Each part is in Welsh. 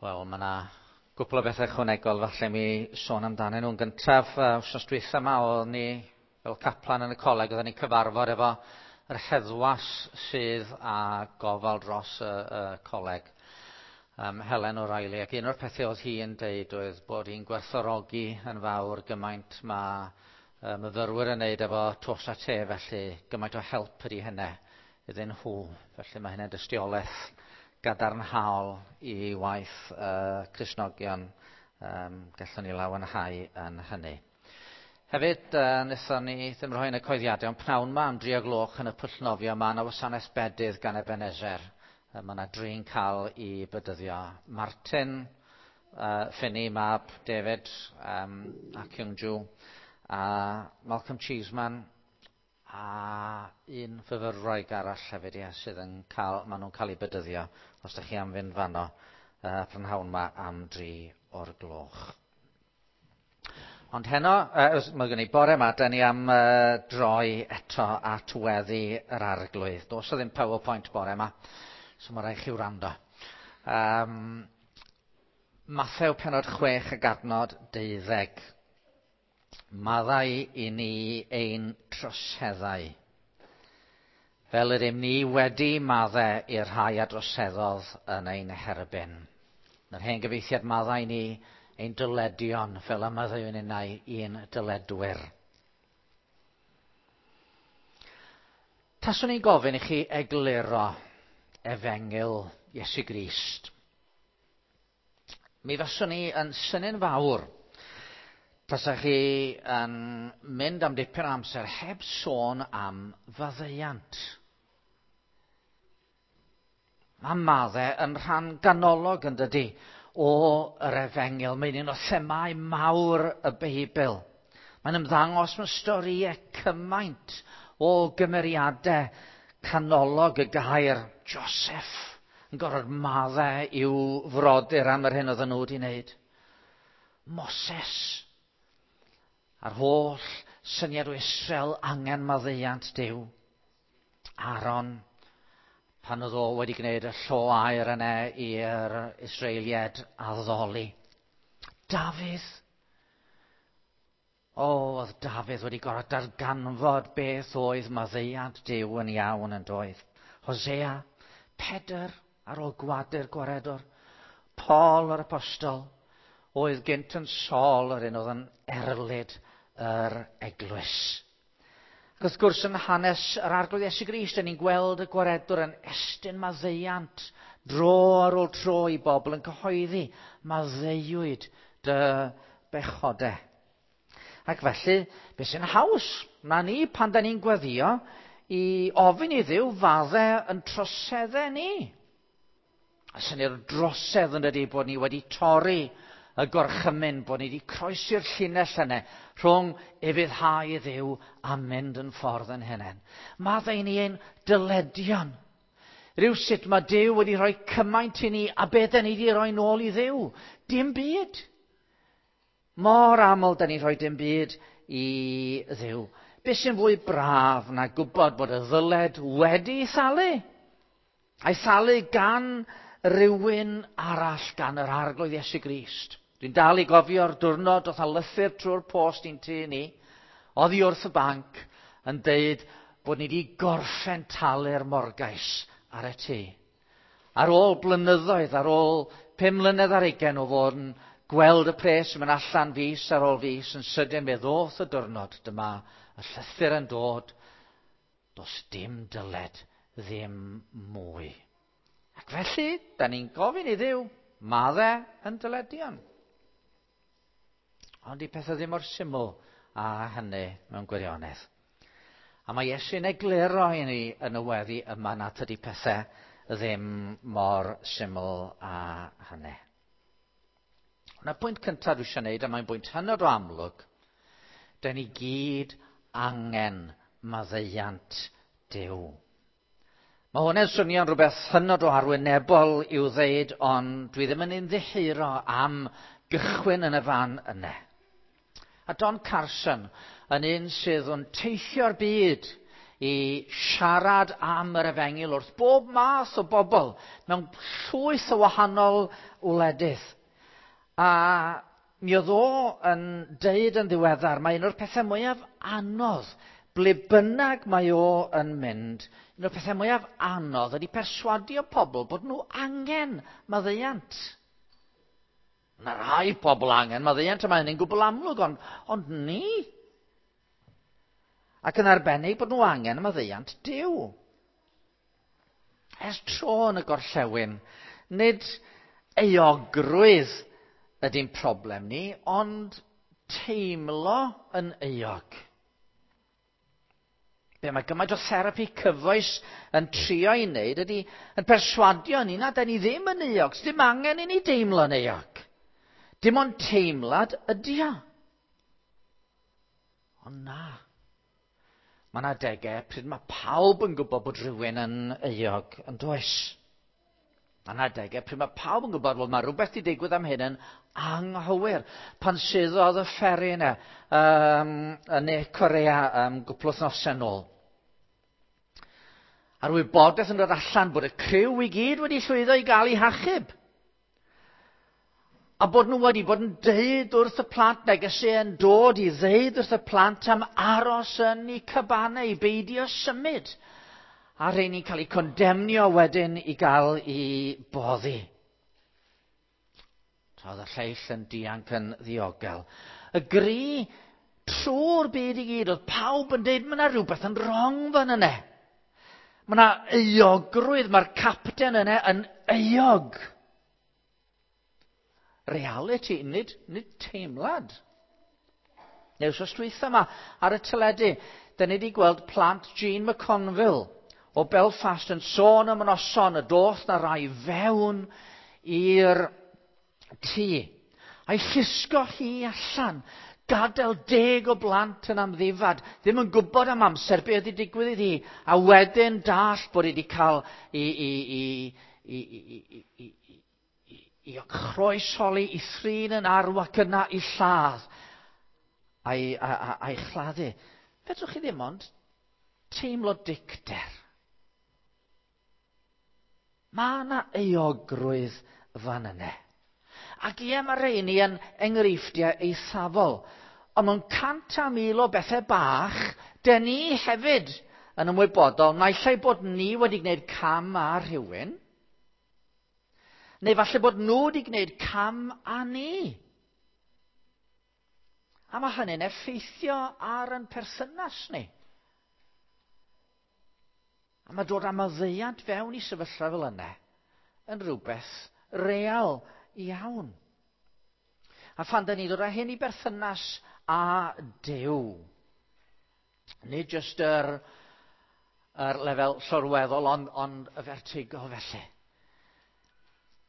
Wel, mae yna gwpl o bethau ychwanegol falle mi sôn amdanyn nhw'n gyntaf. Wsos dwytha yma oeddwn ni fel caplan yn y coleg, oeddwn ni'n cyfarfod efo yr heddwas sydd â gofal dros y coleg, Helen O'Reilly, ac un o'r pethau oedd hi'n deud oedd bod hi'n gwerthfawrogi yn fawr gymaint mae myfyrwyr yn neud efo tos a te, felly gymaint o help ydy hynny iddyn nhw. Felly mae hynny'n dystiolaeth gadarnhaol i waith Cristnogion, gallwn ni lawenhau yn hynny. Hefyd, wnaethon ni ddim rhoi yn y coeddiadau, ond pnawn ma am 3 o gloch yn y pwll nofio, mae yna wasanaeth bedydd gan Ebenezer. Mae yna dri'n cael i bedyddio. Martin, Finney, mab David a Kyung Ju, a Malcolm Cheeseman, a un fyfyrwraig arall hefyd, ie, sydd yn cael, maen nhw'n cael eu bedyddio, os ydych chi am fynd fanno prynhawn ma am 3 o'r gloch. Ond heno, mae gen i bore yma, da ni am droi eto at weddi yr Arglwydd. Does o ddim PowerPoint bore yma, so mae rhaid chi wrando. Mathew penod 6 ag adnod 12. Maddau i ni ein troseddau, fel yr ym ni wedi maddau i'r rhai a droseddodd yn ein herbyn. Yr hen gyfeithiad, maddau ni ein dyledion, fel y maddeuwn ninnau i'n dyledwyr. Taswn i'n gofyn i chi egluro efengyl Iesu Grist, mi faswn i yn synnu'n fawr tasach chi yn mynd am dipyn o amser heb sôn am faddeuant. Mae maddau yn rhan ganolog yn dydy o yr efengyl. Mae'n un o themâu mawr y Beibl. Mae'n ymddangos mewn storïau cymaint o gymeriadau canolog y gair. Joseph yn gorfod maddau i'w frodyr am yr hyn oedden nhw wedi wneud. Moses a'r holl syniad o Israel angen maddeuant Duw. Aaron, pan oedd o wedi gwneud y llo aur yna i'r Israeliaid addoli. Dafydd. O, oedd Dafydd wedi gorfod darganfod beth oedd maddeuant Duw yn iawn yn doedd. Hosea, Pedr ar ôl gwadu'r gwaredwr. Paul yr apostol, oedd gynt yn Saul yr un oedd yn erlid yr eglwys. Ac wrth gwrs yn hanes yr Arglwydd Iesu Grist, ni'n gweld y gwaredwr yn estyn maddeuant dro ar ôl tro i bobl yn cyhoeddi maddeuwyd dy bechodau. Ac felly, beth sy'n haws na ni pan da ni'n gweddio i ofyn i Dduw faddau yn troseddau ni. A syniad o drosedd yn dydy bod ni wedi torri y gorchymyn, bod ni wedi croesi'r llinell yna rhwng ufuddhau i Dduw a mynd yn ffordd yn hunain. Maddau ni ein dyledion. Rhywsut mae Duw wedi rhoi cymaint i ni a beth da ni wedi rhoi nôl i Dduw? Dim byd. Mor aml da ni'n rhoi dim byd i Dduw. Beth sy'n fwy braf na gwybod bod y ddyled wedi thalu? A'i thalu gan rywun arall, gan yr Arglwydd Iesu Grist. Dwi'n dal i gofio'r diwrnod oedd a lythyr trwy'r post i'n tŷ ni, oddi wrth y banc, yn deud bod ni wedi gorffen talu'r morgais ar y tŷ. Ar ôl blynyddoedd, ar ôl 5 mlynedd ar 20 o fod yn gweld y pres yn mynd allan fis ar ôl fis, yn sydyn fe ddoth y diwrnod, dyma y llythyr yn dod, does dim dyled, ddim mwy. Ac felly, da ni'n gofyn i Dduw, maddau yn dyledion. Ond di pethau ddim mor syml a hynny mewn gwirionedd. A mae Iesu'n egluro i ni yn y weddi yma nad ydy pethau ddim mor syml a hynny. Ond y pwynt cyntaf dwi eisiau gwneud, a mae'n bwynt hynod o amlwg, da ni gyd angen maddeuant Duw. Mae hwn yn swnio'n rhywbeth hynod o arwynebol i'w ddeud, ond dwi ddim yn ymddiheuro am gychwyn yn y fan yna. A Don Carson yn un sydd yn teithio'r byd i siarad am yr efengyl wrth bob math o bobl mewn llwyth o wahanol wledydd. A mi oedd o yn deud yn ddiweddar, mae un o'r pethau mwyaf anodd, ble bynnag mae o yn mynd, un o'r pethau mwyaf anodd ydy perswadio pobl bod nhw angen maddeuant. Mae rhai pobl angen maddeuant, a mae hynny'n gwbl amlwg, ond ni. Ac yn arbennig bod nhw angen maddeuant Duw. Ers tro yn y gorllewin, nid euogrwydd ydy'n problem ni, ond teimlo yn euog. Be mae gymaint o therapi cyfoes yn trio i wneud ydy yn perswadio ni na da ni ddim yn euog, ddim angen i ni deimlo'n euog. Dim ond teimlad ydy o. Ond na. Mae yna adegau pryd mae pawb yn gwybod bod rhywun yn euog, yn does? Mae yna adegau pryd mae pawb yn gwybod bod mae rhywbeth wedi digwydd am hyn yn anghywir. Pan suddodd y fferi yna yn Ne Korea gwpl wythnosau nôl. A'r wybodaeth yn dod allan bod y criw i gyd wedi llwyddo i gael eu hachub. A bod nhw wedi bod yn deud wrth y plant, negeseuon yn dod i ddeud wrth y plant am aros yn eu cabanau, i beidio symud. A rheini'n cael eu condemnio wedyn i gael eu boddi. Tra oedd y lleill yn dianc yn ddiogel. Y gri trwy'r byd i gyd, oedd pawb yn deud, mae yna rhywbeth yn wrong fan yna. Mae yna euogrwydd, mae'r capten yna yn euog. Reality, nid teimlad. Neu wsos dwytha yma ar y teledu, da ni wedi gweld plant Jean McConville o Belfast yn sôn am y noson y doth na rai fewn i'r tŷ. A'i llusgo hi allan, gadael 10 o blant yn amddifad, ddim yn gwybod am amser beth wedi digwydd iddi, a wedyn dall bod wedi cael i chroesholi, i thrin yn arw ac yna i lladd a'i chladdu. Fedrwch chi ddim ond teimlo dicter. Mae yna euogrwydd fan yna. Ac ie, mae rheini yn enghreifftiau eithafol. Ond mewn 100,000 o bethau bach, dyn ni hefyd yn ymwybodol, naill ai bod ni wedi gwneud cam â rhywun, neu falle bod nhw wedi gwneud cam â ni. A mae hynny'n effeithio ar ein perthynas ni. A mae dod â maddeuant fewn i sefyllfa fel yna yn rhywbeth real iawn. A phan da ni ddod â hyn i berthynas â Duw, nid jyst yr lefel llorweddol, ond y vertigo felly.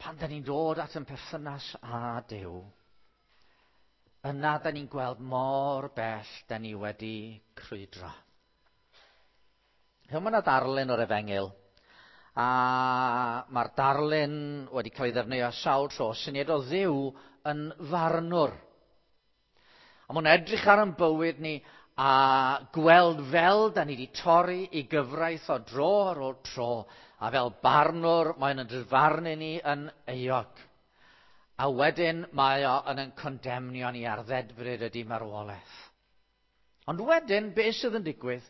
Pan da ni'n dod at yn perthynas â Duw, yna da ni'n gweld mor bell da ni wedi crwydro. Mae yna darlun o'r efengyl, a mae'r darlun wedi cael ei ddefnyddio sawl tro, syniad o Dduw yn farnwr. A mae'n edrych ar ein bywyd ni a gweld fel da ni wedi torri i gyfraith o dro ar ôl tro, a fel barnwr mae'n yn dyfarnu ni yn euog. A wedyn mae o yn ein condemnio ni ar ddedfryd ydy marwolaeth. Ond wedyn, beth sydd yn digwydd?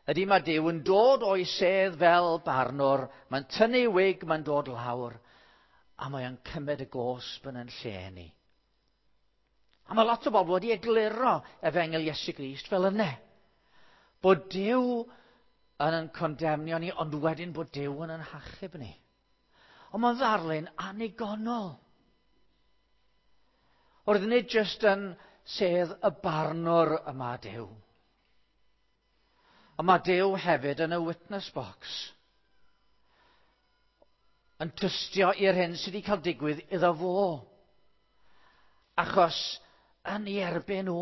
Ydy mae Duw yn dod o'i sedd fel barnwr, mae'n tynnu wig, mae'n dod lawr, a mae'n cymryd y gosb yn ein lle ni. A mae lot o bobl wedi egluro efengyl Iesu Grist fel yna. Bod Duw yn ein condemnio ni, ond wedyn bod Duw yn ein hachub ni. Ond mae'n ddarlun annigonol. Oedd nid jyst yn sedd y barnwr yma Duw. Ond mae Duw hefyd yn y witness box. Yn tystio i'r hyn sydd wedi cael digwydd iddo fo. Achos yn ei erbyn o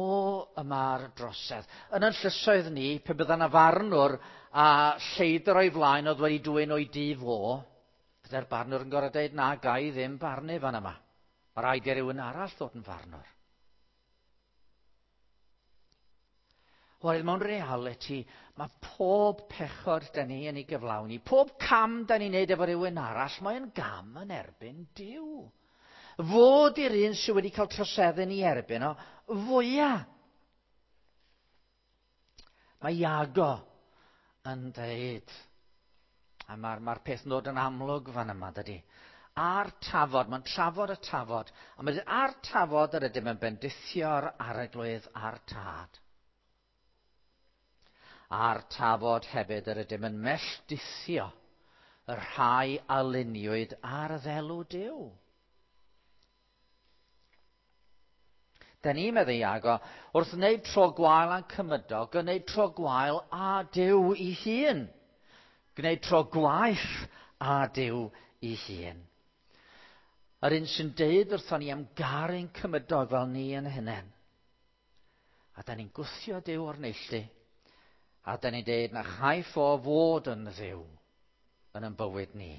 y mae'r drosedd. Yn ein llysoedd ni, pe bydda 'na farnwr a lleidr o'i flaen oedd wedi dwyn o'i dŷ fo, bydde'r barnwr yn gorfod dweud, na, ga i ddim barnu fan yma. Mae rhaid i rywun arall ddod yn farnwr. Oherwydd mewn reality, Mae pob pechod da ni yn ei gyflawni, pob cam da ni'n neud efo rhywun arall, mae'n gam yn erbyn Duw. Fod i'r un sydd wedi cael troseddu yn ei erbyn o, fwyaf. Mae Iago yn dweud, a mae'r mae peth yn dod yn amlwg fan yma, dydy. A'r tafod, mae'n trafod y tafod, a mae'n dweud, a'r tafod yr ydym yn bendithio'r arglwydd a'r tad. A'r tafod hefyd yr ydym yn melldithio y rhai a luniwyd ar ddelw Duw. Da ni, meddai Iago, wrth wneud tro gwael â'n cymydog, yn gwneud tro gwael â Duw ei hun. Gwneud tro gwaeth â Duw ei hun. Yr un sy'n deud wrthon ni am garu'n cymydog fel ni yn hunain. A da ni'n gwthio Duw o'r neilltu. A da ni'n deud na chaiff o fod yn Dduw yn yn bywyd ni.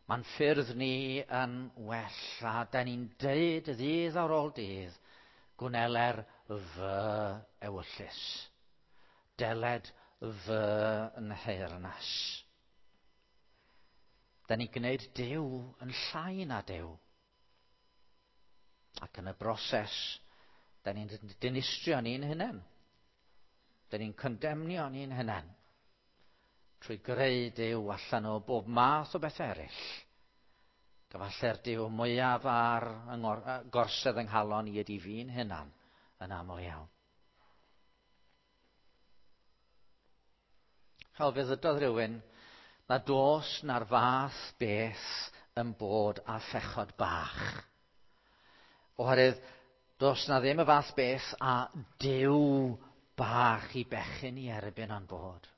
Mae'n ffyrdd ni yn well, a da ni'n deud ddydd ar ôl dydd, gwneler fy ewyllys. Deled fy nheyrnas. Da ni'n gwneud Duw yn llai na Duw. Ac yn y broses, da ni'n dinistrio ni'n hunain. Da ni'n condemnio ni'n hunain trwy greu Duw allan o bob math o beth eraill. Gyfalle'r Duw mwyaf ar gorsedd yng nghalon i ydy fi'n hunan yn aml iawn. Fel fe ddydodd rhywun, na dos na'r fath beth yn bod â phechod bach. Oherwydd, dos na ddim y fath beth a Duw bach i bechyn i erbyn o'n bod.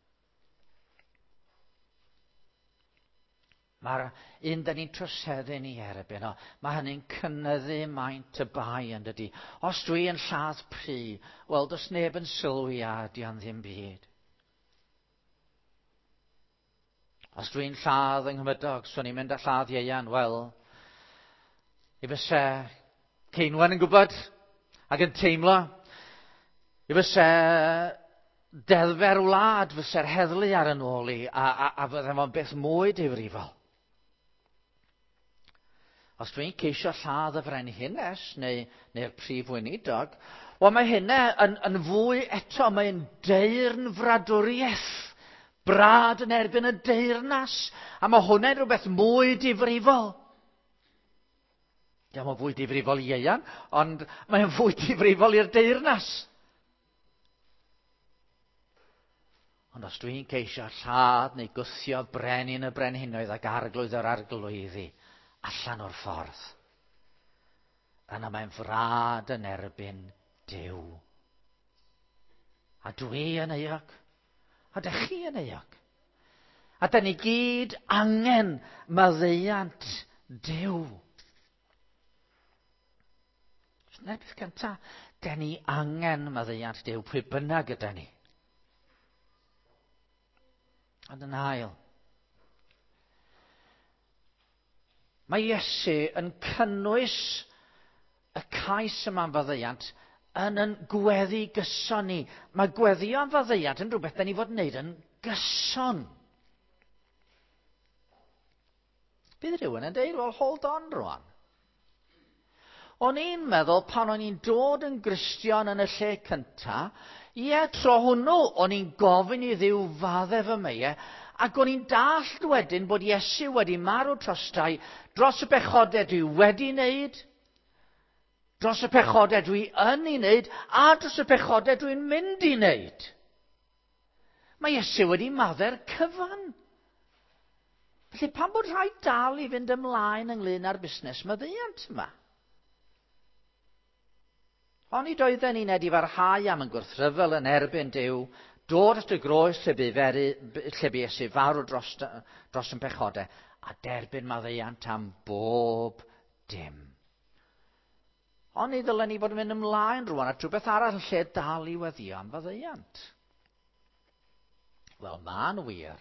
Mae'r un da ni'n troseddu ni erbyn o, mae hynny'n cynyddu maint y bai yn dydy. Os dwi yn lladd pry, wel, does neb yn sylwi a di o'n ddim byd. Os dwi'n lladd yng Nghymydog, swn i'n mynd â lladd Ieuan, wel, i fyse Ceinwen yn gwybod ac yn teimlo, i fyse deddfau'r wlad fysa'r heddlu ar yn ôl i, a, a, a fydde fo'n beth mwy difrifol. Os dwi'n ceisio lladd y frenhines neu, neu'r prif weinidog, wel mae hynna yn, yn fwy eto, mae'n deyrn fradwriaeth. Brad yn erbyn y deyrnas, a mae hwnna'n rhywbeth mwy difrifol. Diolch yn fwy difrifol i Ieuan, ond mae'n fwy difrifol i'r deyrnas. Ond os dwi'n ceisio lladd neu gwthio brenin y brenhinoedd ac arglwydd yr arglwyddi allan o'r ffordd, yna mae'n frad yn erbyn Duw. A dwi yn euog. A dych chi yn euog. A da ni gyd angen maddeuant Duw. Dyna'r peth cyntaf. Da ni angen maddeuant Duw, pwy bynnag yda ni. Ond yn ail, mae Iesu yn cynnwys y cais yma am faddeuant yn yn gweddi gyson ni. Mae gweddio am faddeuant yn rhywbeth da ni fod yn wneud yn gyson. Bydd rhywun yn deud, well, hold on rwan. O'n i'n meddwl pan o'n i'n dod yn Gristion yn y lle cynta, ie, tro hwnnw, o'n i'n gofyn i Dduw fadde fy meie, ac o'n i'n dallt wedyn bod Iesu wedi marw trostai dros y pechodau dwi wedi wneud, dros y pechodau dwi yn ei wneud, a dros y pechodau dwi'n mynd i wneud. Mae Iesu wedi maddau'r cyfan. Felly pam bod rhaid dal i fynd ymlaen ynglyn â'r busnes maddeuant yma? Onid oedden ni'n edifarhau am yn gwrthryfel yn erbyn Duw, dod at y groes lle bu, feru, lle bu Iesu farw dros, dros yn pechodau, a derbyn maddeuant am bob dim. Oni ddylen ni fod yn mynd ymlaen rwan at rhywbeth arall yn lle dal i weddio am faddeuant? Wel, mae'n wir.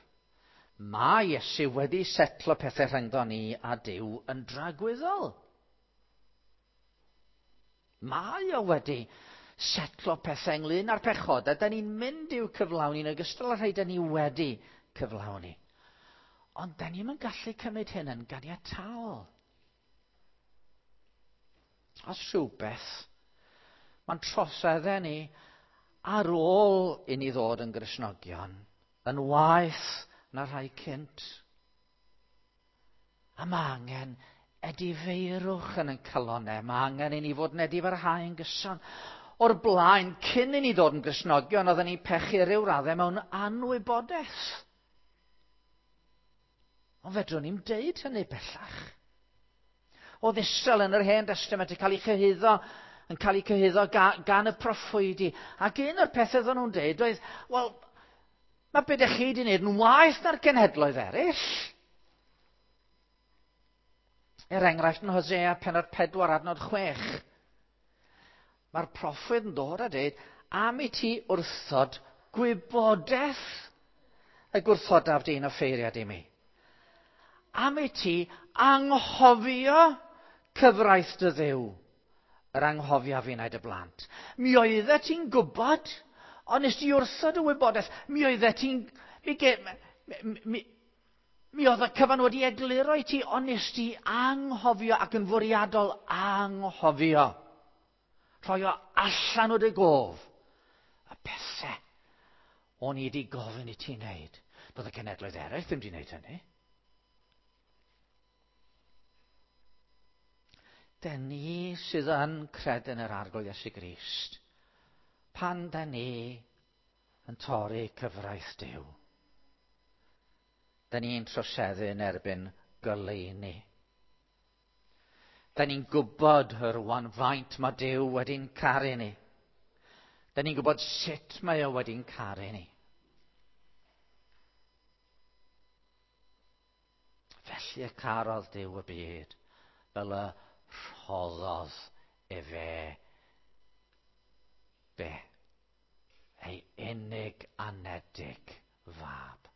Mae Iesu wedi setlo pethau rhyngddo ni a Duw yn dragwyddol. Mae o wedi Setlo pethau ynglyn â'r pechod, a da ni'n mynd i'w cyflawni yn ogystal â rhai da ni wedi cyflawni. Ond da ni'n gallu cymryd hyn yn ganiataol. Os rhywbeth, mae'n troseddau ni ar ôl i ni ddod yn Gristnogion yn waeth na rhai cynt. A mae angen edifeirwch yn ein calonnau. Mae angen i ni fod yn edifarhau yn gyson. O'r blaen, cyn i ni ddod yn Gristnogion, oedden ni'n pechu ryw raddau mewn anwybodaeth. Ond fedrwn ni'm deud hynny bellach. Oedd Israel yn yr Hen Destament yn cael ei chyhuddo, yn cael ei cyhuddo gan y proffwydi. Ac un o'r pethau oedden nhw'n deud oedd, wel, mae beth ydych chi wedi wneud yn waeth na'r genhedloedd eraill. Er enghraifft yn Hosea pennod 4 adnod 6. Mae'r proffwyd yn dod a dweud, am i ti wrthod gwybodaeth y gwrthodaf di'n offeiriad i mi. Am i ti anghofio cyfraith dy Dduw, yr anghofiaf finnau dy blant. Mi oeddet ti'n gwybod, ond nes ti wrthod y wybodaeth. Mi oeddet ti'n... Mi, mi, mi oedd y cyfan wedi egluro i ti, ond nes ti anghofio ac yn fwriadol anghofio. Rhoi o allan o dy gof. Y pethau o'n i wedi gofyn i ti wneud. Doedd y cenedloedd eraill ddim wedi wneud hynny. Den ni sydd yn credu yn yr Arglwydd Iesu Grist, pan den ni yn torri cyfraith Duw, den ni'n troseddu yn erbyn goleuni. Den ni'n gwybod rwan faint mae Duw wedi'n caru ni. Den ni'n gwybod sut mae o wedi'n caru ni. Felly y carodd Duw y byd, fel y rhoddodd efe be? Ei unig anedig fab.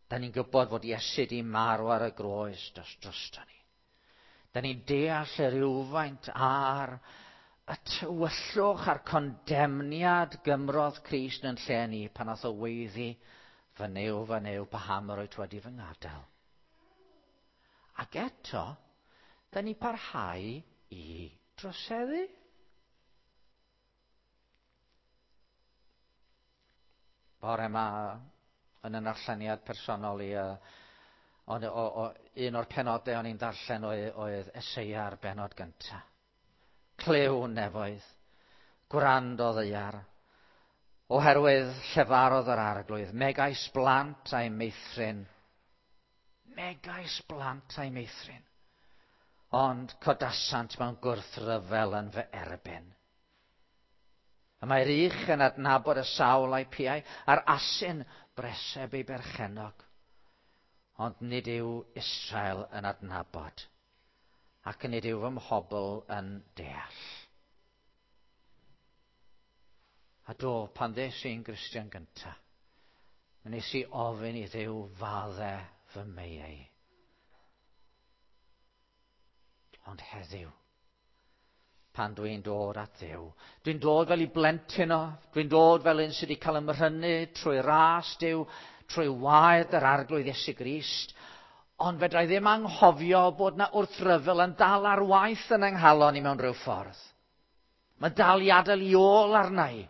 Da ni'n gwybod fod Iesu di marw ar y groes dros drosto ni. Da ni'n deall y rhywfaint ar y tywyllwch a'r condemniad gymrodd Crist yn lle ni pan nath o weiddi, fy Nuw, fy Nuw, paham yr wyt wedi fy ngadael. Ac eto, da ni parhau i droseddu. Bore yma, yn y narlleniad personol i, un o'r penodau o'n i'n darllen oedd Eseia ar benod gyntaf. Clyw nefoedd, gwrando ddaear, oherwydd llefarodd yr Arglwydd, megais blant a'i meithrin. Megais blant a'i meithrin. Ond codasant mewn gwrthryfel yn fy erbyn. Y mae'r ych yn adnabod y sawl a'i piau, a'r asyn breseb ei berchennog. Ond nid yw Israel yn adnabod, ac nid yw fy mhobl yn deall. A do, pan ddes i'n Gristion gyntaf, mi wnes i ofyn i Dduw fadde fy meiau. Ond heddiw, pan dwi'n dod at Dduw, dwi'n dod fel i blentyn o, dwi'n dod fel un sydd wedi cael ymrhynnu trwy ras Duw, trwy waed yr Arglwydd Iesu Grist, ond fedra i ddim anghofio bod na wrthryfel yn dal ar waith yn yng nghalon i mewn rhyw ffordd. Mae'n dal i adael i ôl arna i.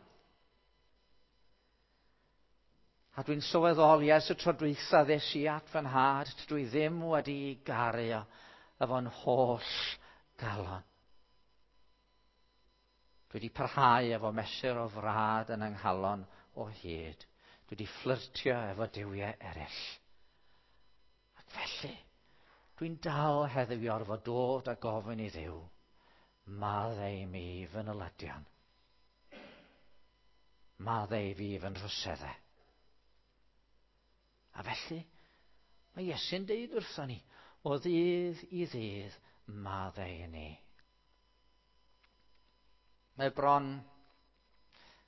A dwi'n sylweddoli ers y tro dwytha ddes i at fy nhad, dwi ddim wedi garu o efo'n holl galon. Dwi wedi parhau efo mesur o frad yn yng nghalon o hyd. Dwi wedi fflyrtio efo duwiau eraill. Ac felly, dwi'n dal heddiw i orfod dod a gofyn i Dduw, maddau i mi fy nyledion. Maddau i fi fy nhroseddau. A felly, mae Iesu'n deud wrthon ni, o ddydd i ddydd, maddau i ni. Mae bron,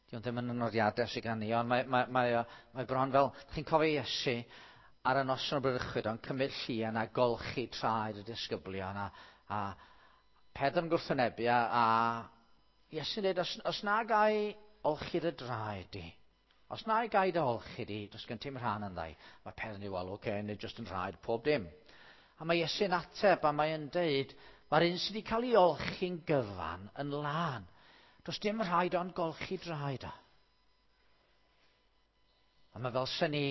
diwn ddim yn y nodiadau sydd gan ni, ond mae, mae, mae, mae bron fel, chi'n cofio Iesu ar y noson o bradychwyd, ond cymryd llian a golchi traed y disgyblion, a Pedr yn gwrthwynebu, a Iesu'n dweud, os na gai olchi dy draed di, os na gai dy olchi di, does gen ti'm rhan ynddai. Mae Pedr yn dweud, wel, oce, okay, nid jyst yn rhaid, pob dim. A mae Iesu'n ateb, a mae'n deud, mae'r un sydd wedi cael ei olchi'n gyfan yn lân. Does dim rhaid ond golchi draed o. A mae fel sy'n ni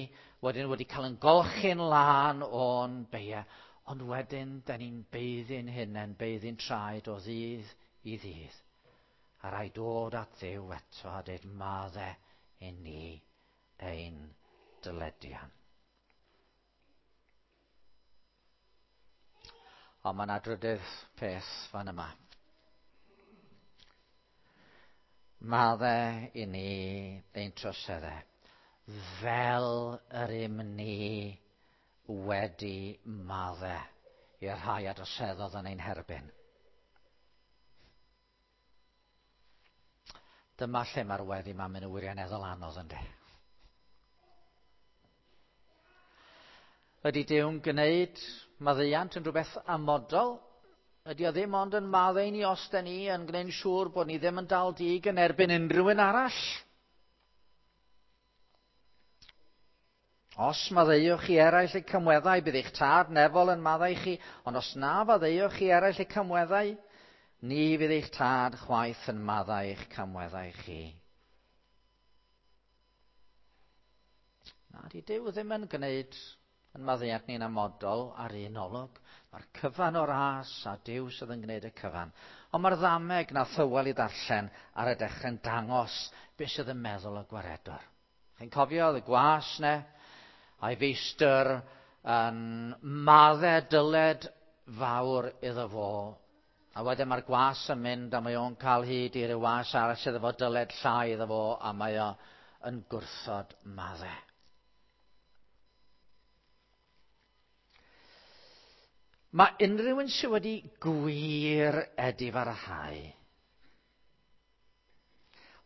wedyn wedi cael yn golchi'n lân o'n beia, ond wedyn, da ni'n beiddi'n hunain, beiddi'n traed o ddydd i ddydd. A rhaid dod at Dduw eto a dweud madde i ni ein dyledion. Ond mae yna drydydd peth fan yma. Madde i ni ein troseddau fel yr ym ni wedi madde i'r rhai a droseddodd yn ein herbyn. Dyma lle mae'r weddi ma'n mynd yn wirioneddol anodd yndi. Ydy Duw'n gwneud maddeuant yn rhywbeth amodol? Ydy o ddim ond yn maddau ni os da ni yn gwneud siŵr bod ni ddim yn dal dig yn erbyn unrhyw un arall? Os maddeuwch chi eraill eu cymweddau, bydd eich tad nefol yn maddau chi, ond os na faddeuwch chi eraill eu cymweddau, ni fydd eich tad chwaith yn maddau eich camweddau chi. Na, di Duw ddim yn gwneud yn maddeuant ni'n amodol ar un olwg. Mae'r cyfan o'r as a Duw sydd yn gwneud y cyfan. Ond mae'r ddameg na thywel i ddarllen ar y dechrau'n dangos beth sydd yn meddwl y gwaredwr. Chi'n cofio oedd y gwas ne, a'i feistr yn madde dyled fawr iddo fo. A wedyn mae'r gwas yn mynd a mae o'n cael hyd i ryw was arall sydd efo dyled llai iddo fo a mae o yn gwrthod madde. Mae unrhyw un sydd wedi gwir edifarhau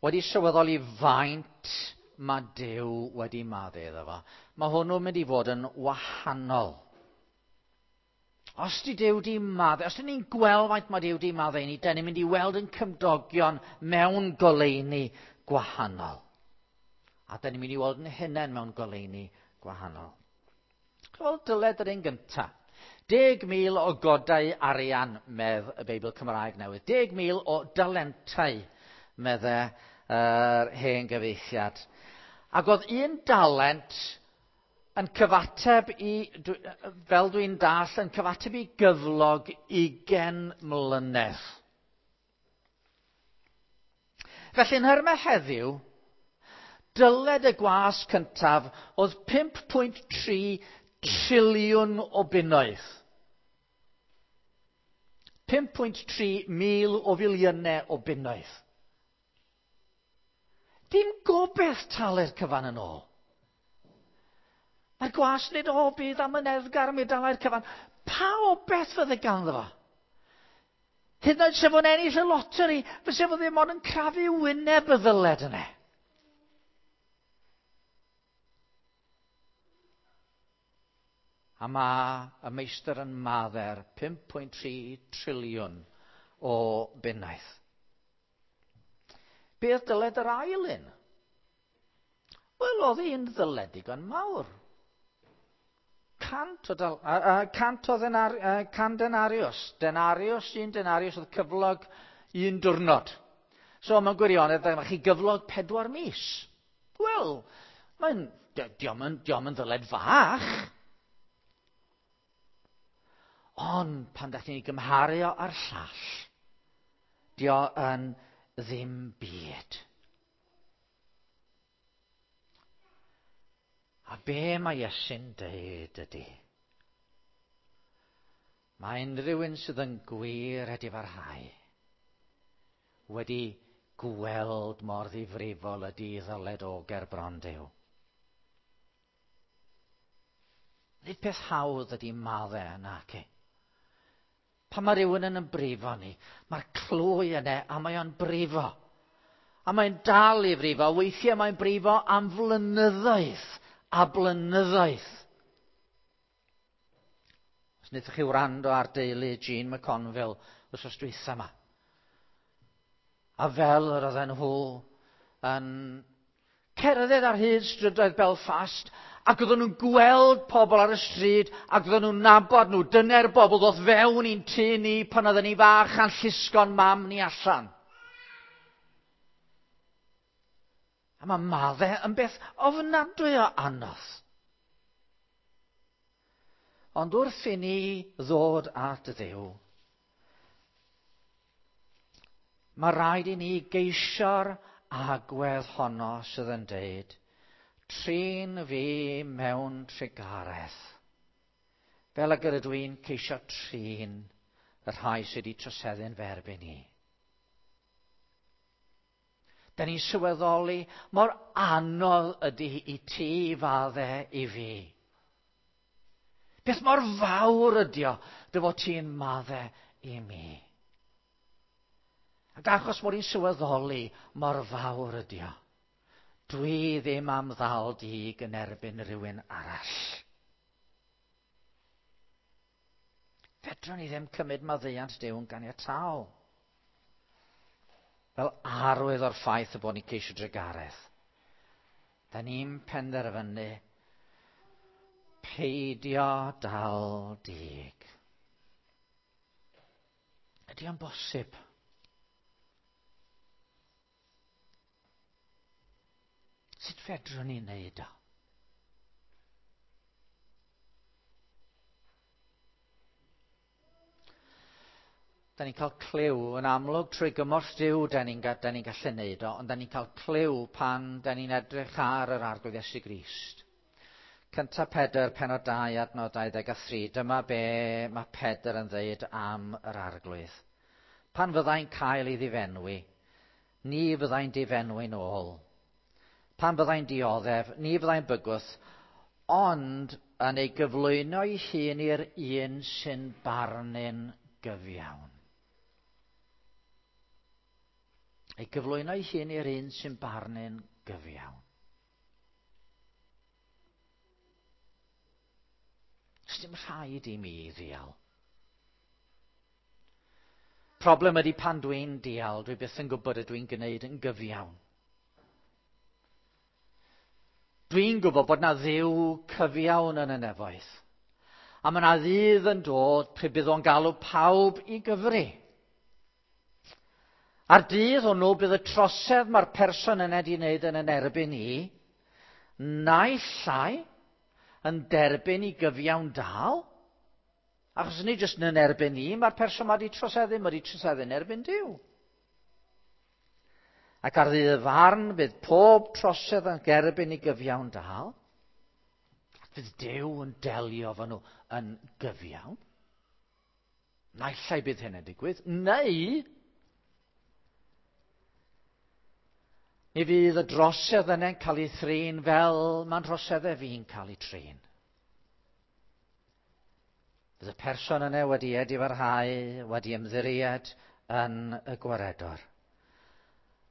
wedi sylweddoli faint mae Duw wedi madde iddo fo. Mae hwnnw'n mynd i fod yn wahanol. Os di Duw di madde, os dyn ni'n gweld faint mae Duw di madde i ni, dyn ni'n mynd i weld yn cymdogion mewn goleuni gwahanol. A dyn ni'n mynd i weld yn hunain mewn goleuni gwahanol. Wel, dyled yr un gyntaf. 10,000 o godau arian, medd y Beibl Cymraeg newydd. 10,000 o dalentau, medde yr hen gyfeithiad. Ac oedd un dalent yn cyfateb i, fel dwi'n dall, yn cyfateb i gyflog 20 mlynedd. Felly yn nhermau heddiw, dyled y gwas cyntaf oedd 5.3 triliwn o bunnoedd. 5.3 mil o filiynau o bunnoedd. Dim gobeith talu'r cyfan yn ôl. Mae'r gwas yn dweud, o, bydd amyneddgar mi dalai'r cyfan. Pa obeith fydde ganddo fo? Hyd yn oed se fo'n ennill y loteri, fyse fo ddim ond yn crafu wyneb y ddyled yna. A mae y meistr yn madder 5.3 triliwn o bunnoedd. Beth dyled yr ail un? Wel, oedd hi'n ddyled digon mawr. 100 o, dal, 100 o ddenar, 100 denarius. Denarius, un denarius oedd cyflog un diwrnod. So, mewn gwirionedd, dyma chi gyflog 4 mis. Wel, mae'n, diom yn, diom yn ddyled fach. Ond, pan da chi'n ei gymharu o â'r llall, dio yn ddim byd. A be mae Iesu'n deud ydy, mae unrhyw un sydd yn gwir edifarhau wedi gweld mor ddifrifol ydy ddyled o ger bron Duw. Nid peth hawdd ydy madde yna, ci. Pan mae rhywun yn brifo ni, mae'r clwy yna a mae o'n brifo. A mae'n dal i frifo. Weithiau mae'n brifo am flynyddoedd a blynyddoedd. Os wnaethoch chi wrando ar deulu Jean McConville wythnos dwytha yma. A fel yr oedden nhw yn cerdded ar hyd strydoedd Belfast, ac oedden nhw'n gweld pobl ar y stryd, ac oedden nhw'n nabod nhw. Dyna'r bobl ddoth fewn i'n tŷ ni pan oedden ni fach a'n llusgo'n mam ni allan. A mae madde yn beth ofnadwy o anodd. Ond wrth i ni ddod at Dduw, mae rhaid i ni geisio'r agwedd honno sydd yn deud, trin fi mewn trugaredd, fel ag yr ydw i'n ceisio trin y rhai sydd wedi troseddu'n fy erbyn i. Da ni'n sylweddoli mor anodd ydy i ti fadde i fi. Beth mor fawr ydy o dy fod ti'n madde i mi. Ac achos mod i'n sylweddoli mor fawr ydy o, dwi ddim am ddal dig yn erbyn rhywun arall. Fedrwn ni ddim cymryd maddeuant Duw yn ganiataol. Fel arwydd o'r ffaith y bod ni'n ceisio drugaredd. Da ni'n penderfynu peidio dal dig. Ydy o'n bosib? Sut fedrwn ni wneud o? Da ni'n cael clyw yn amlwg trwy gymorth Duw da ni'n da ni gallu neud o, ond da ni'n cael clyw pan da ni'n edrych ar yr Arglwydd Iesu Grist. Cynta Pedr, penod 2, adnod 23, dyma be mae Pedr yn dweud am yr Arglwydd. Pan fyddai'n cael ei ddifenwi, ni fyddai'n difenwi'n ôl. Pan fyddai'n dioddef, ni fyddai'n bygwth, ond yn ei gyflwyno ei hun i'r un sy'n barnu'n gyfiawn. Ei gyflwyno ei hun i'r un sy'n barnu'n gyfiawn. Does dim rhaid i mi ddial. Problem ydy pan dwi'n dial, dwi byth yn gwybod ydw i'n gwneud yn gyfiawn. Dwi'n gwybod bod na Dduw cyfiawn yn y nefoedd. A mae na ddydd yn dod pryd bydd o'n galw pawb i gyfri. A'r dydd hwnnw bydd y trosedd mae'r person yna wedi wneud yn yn erbyn i, naill ai yn derbyn i gyfiawn dal, achos nid jyst yn erbyn i, mae'r person mae wedi troseddu, mae wedi troseddu yn erbyn Duw. Ac ar ddydd y farn bydd pob trosedd yn gerbyn i gyfiawn dal. Ac fydd Duw yn delio efo nhw yn gyfiawn. Naill ai bydd hyn yn digwydd, neu mi fydd y drosedd yna'n cael ei thrin fel mae'n troseddau fi'n cael ei trin. Bydd y person yna wedi edifarhau, wedi ymddiried yn y gwaredwr.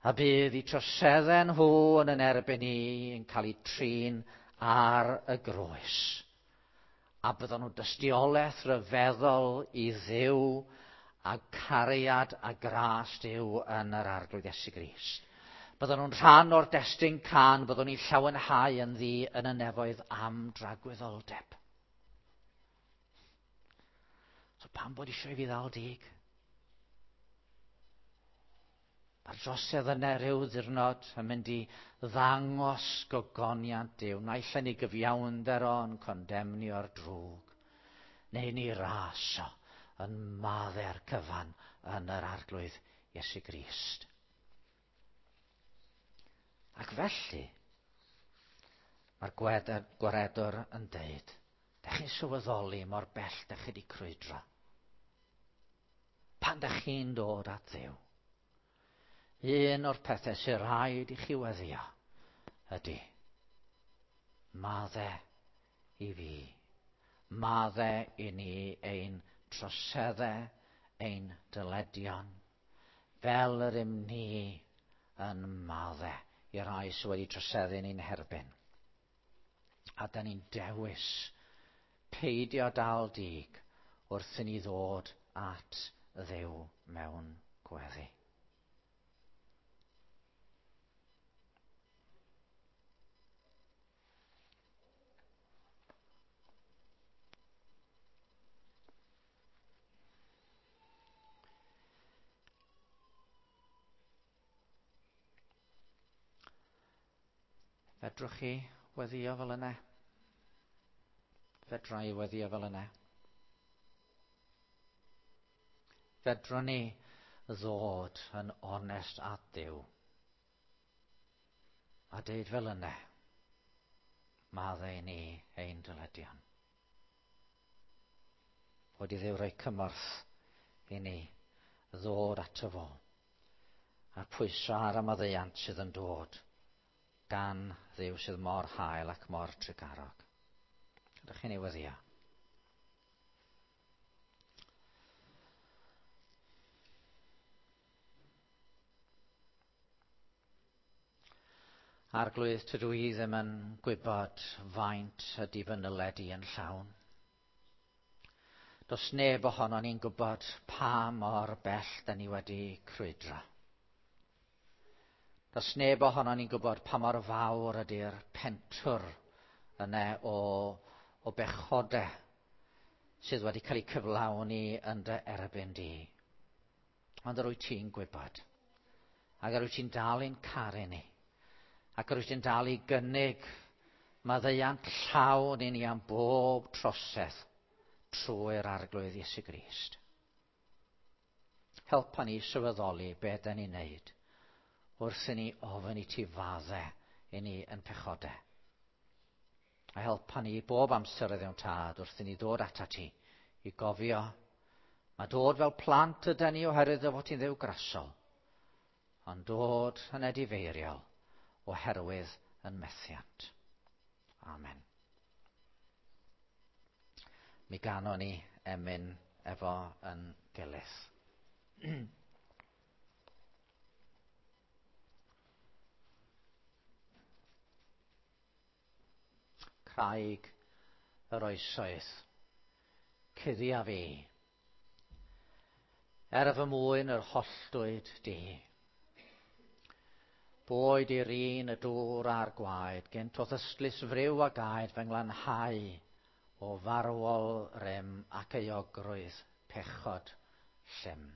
A bydd eu troseddau nhw yn yn erbyn i yn cael eu trin ar y groes. A bydden nhw dystiolaeth ryfeddol i Dduw a cariad a gras Duw yn yr Arglwydd Iesu Grist. Bydden nhw'n rhan o'r destun cân, byddwn ni'n llawenhau yn ddi yn y nefoedd am dragwyddoldeb. So pam bod eisiau i fi ddal dig? Mae'r drosedd yna rhyw ddiwrnod yn mynd i ddangos gogoniant Duw. Naill ai yn ei gyfiawnder o yn condemnio'r drwg, neu yn ei ras o yn maddau'r cyfan yn yr Arglwydd Iesu Grist. Ac felly, mae'r gwaredwr yn deud, da chi'n sylweddoli mor bell da chi wedi crwydro. Pan da chi'n dod at Dduw, un o'r pethau sy'n rhaid i chi weddio ydy madde i fi, madde i ni ein troseddau, ein dyledion, fel yr ym ni yn madde i rai sydd wedi troseddu ni'n herbyn. A da ni'n dewis peidio dal dig wrth i ni ddod at Dduw mewn gweddi. Fedrwch chi weddio fel yna? Fedra i weddio fel yna? Fedrwn ni ddod yn onest at Dduw a deud fel yna, maddau ni ein dyledion. Bod i Dduw roi cymorth i ni ddod ato fo a'r pwyso ar y maddeuant sydd yn dod gan Dduw sydd mor hael ac mor trugarog. Ydych chi'n ei weddio? Arglwydd, tydw i ddim yn gwybod faint ydy fy nyled i yn llawn. Does neb ohono ni'n gwybod pa mor bell da ni wedi crwydro. Does neb ohono ni'n gwybod pa mor fawr ydy'r pentwr yna o, o bechodau sydd wedi cael eu cyflawni yn dy erbyn di. Ond yr wyt ti'n gwybod. Ac yr wyt ti'n dal i'n caru ni. Ac yr wyt ti'n dal i gynnig maddeuant llawn i ni am bob trosedd trwy'r arglwydd Iesu Grist. Helpa ni sylweddoli be da ni'n neud wrth i ni ofyn i ti fadde i ni yn pechodau. A helpa ni bob amser y ddewn tad wrth i ni ddod ata ti i gofio mae dod fel plant ydy ni oherwydd dy fod ti'n ddew grasol, ond dod yn edifeiriol oherwydd yn methiant. Amen. Mi ganon ni emyn efo yn gilydd. Craig yr oesoedd, cuddia fi, er fy mwyn yr holltwyd di. Boed i'r un y dŵr a'r gwaed, gynt o'th ystlys friw a gaed fy nglanhau o farwol rym ac euogrwydd pechod llym.